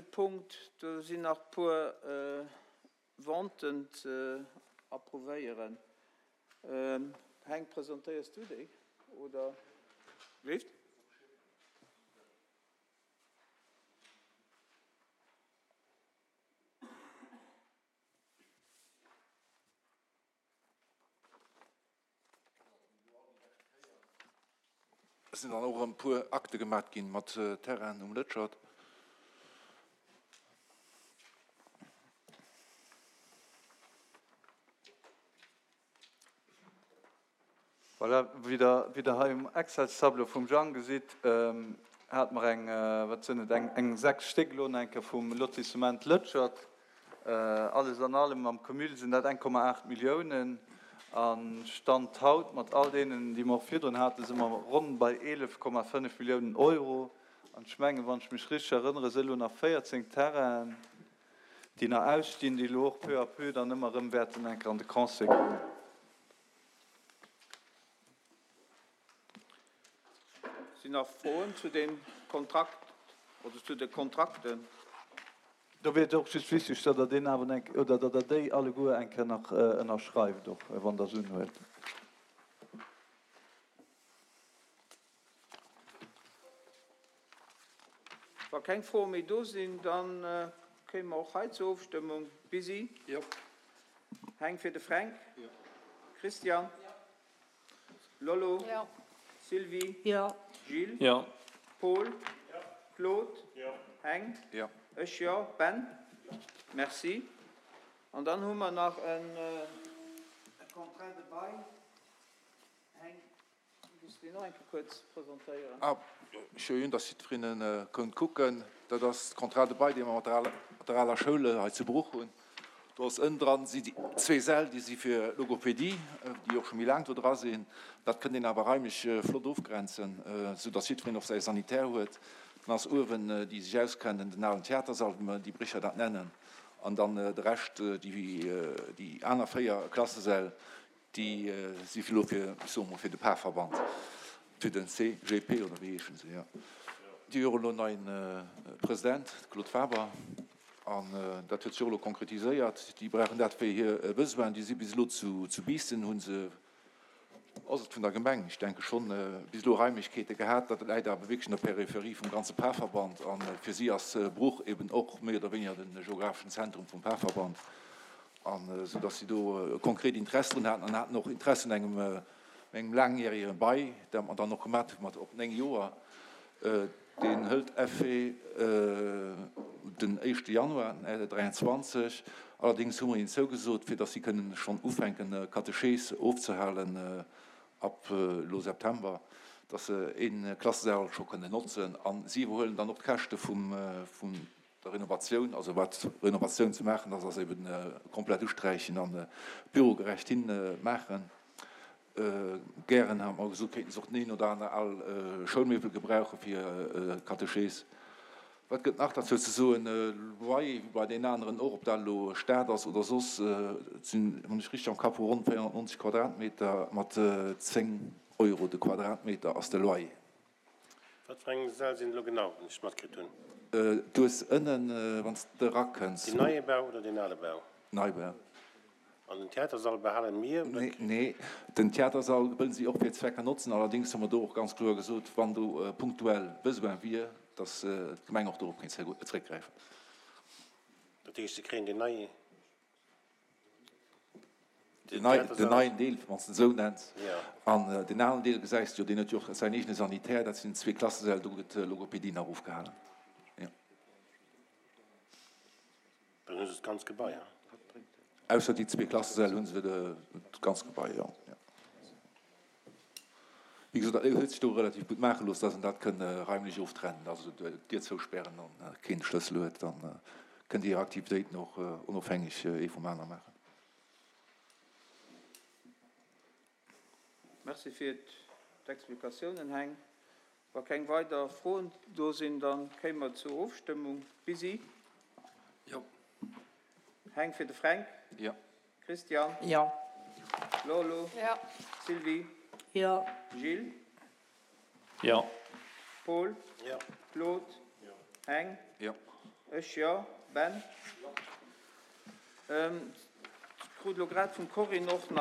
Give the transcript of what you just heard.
Punkt, do sinn nach e puer Venten ze approuvéieren. Heng, presentéiers du déi oder? Leeft? Et sinn dann och erëm e puer Akte gemat ginn mat Terrainen um Lëtschert. Voilà, wéi Der, wéi Der hei um Excelstableau vum Jang gesitt, hate mer eng, wat sinn et, eng, eng 6 Stéck elo nach eng Kéier vum Lotissement Lëtschert. Alles an allem am Cumul sinn dat 1,8 Milliounen. A Stand haut, mat all deenen, déi mer och virdrun haten, si mer ronn bei 11,5 Milliounen Euro. An ech mengen, wann ech mech richteg erënnere, si elo nach 14 Terrainen, déi nach ausstinn, déi elo och peu à peu dann ëmmer erëm wäerten eng Kéier an de Conseil kommen. Sinn nach Froen zu deem Kontrakt oder zu de Kontrakten? Do wier et och just wichteg, datt Der deen awer eng, oder datt Der déi alleguer eng Kéier nach ënnerschreift och, wann Der se unhuelt. Wa keng Froe méi do sinn, da kéime mer och hei zur Ofstëmmung. Busy? Jo. Heng fir de Fränk? Jo. Christian? Jo. Lollo? Jo. Sylvie? Jo. Gilles? Jo. Paul? Jo. Claude? Jo. Heng? Jo. Ech jo. Ben? Jo. Merci. An dann hu mer nach e Contrat de bail. Heng? Muss deen och eng Kéier kuerz presentéieren. Ah, schön, dass jiddwereen konnt kucken. Dat ass de Contrat de bail, dee mer mat der aler Schoul hei zu Bruch hunn. Do ass ënnen dran si déi zwee Säll, déi si fir Logopedie, déi och scho méi laang do dra sinn. Dat kënnt een awer raimlech flott ofgrenzen, soudass jiddwereen och säi Sanitär huet. Dann ass uewen, déi sech auskennen, den alen Theatersall, wéi mer déi Brécher dat nennen. An dann de Rescht, déi aner 4 Klassesäll, Déi si elo fir, ech soe mol, fir de Parverband, fir den CGP oder wéi heeschen se, jo. Déi hu jo elo en neien President, de Claude Faber, an dat huet sech och elo konkretiséiert. Déi brauchen dat fir hir Besoinen. Déi si bis elo zu Biissen, hu se, ass et vun der Gemeng, ech denke schonn, bis elo Raimlechkeete gehat. Dat läit awer wierklech an der Peripherie vum ganze Parverband a fir si ass Bruch eben och méi oder wéiniger de geographeschen Zentrum vum Parverband. An esou datt si do e konkret Interesse drun haten an haten och Interesse un engem engem laangjärege Bail, dat mer dann och gemat hu mat op 9 Joer. Deen hëlt Effet den éischte Januar 23. Allerdéngs hu mer hinnen zougesot, fir datt si kënnen schonn ufänken Katechees ofzehalen ab elo September, datt se ee Klassesall scho kënnen notzen. A si iwwerhuelen dann och d'Käschte vum Der Renovatioun, also wat Renovatioun ze maachen ass, ass eben komplett usträichen an bürogerecht hin maachen. Gären, hat mer gesot, kéinten se och den een oder aner al Schoulmiwwel gebrauche fir Katechees. Wat gëtt nach derzou ze soen? Loyer, wéi bei deenen aneren och, ob dat elo Stad ass oder soss, et sinn, wann ech richteg am Kapp hu, ronn 490 Quadratmeter mat 10 Euro de Quadratmeter ass de Loyer. Wat fir eng Säll sinn et elo genau, wann ech et matkritt hunn? Du hues ënnen, wann s de erakënns. Deen neie Bau oder deen ale Bau? Neibau. An den Theatersall behalen mir oder? Nee, den Theatersall wëllen si och fir Zwecker notzen. Allerdéngs hu mer do och ganz kloer gesot, wann do punktuell Besoin wier, datt d'Gemeng och dorop kéint zeréckgräifen. Dat heescht, se kréien deen neie. Den neien Deel, wann s de en esou nenns. An deen alen Deel gesäis de jo, deen huet jo och säin eegene Sanitär. Dat sinn zwee Klassesäll, do gëtt Logopedie nach ofgehalen. Jo. Dann hu se d'ganz Gebai, hein? Ausser déi zwee Klassesäll hu se d'ganz Gebai, jo. Wéi gesot, dat huet sech do relativ gutt maache loossen, dass een dat kënn raimlech oftrennen, also d'Dier zouspären an keen de Schlëssel huet, dann kënnt Dir Är Aktivitéiten och onofhängeg ee vum aner maachen. Merci fir d'Explikatiounen, Heng. Wa keng weider Froen do sinn, da kéime mer zur Ofstëmmung. Busy? Jo. Heng fir de Fränk? Jo. Christian? Jo. Lolo? Jo. Sylvie? Jo. Gilles? Jo. Paul? Jo. Claude? Jo. Heng? Jo. Ech jo. Ben? Jo. Ech krut elo grad vum Corinne och nach.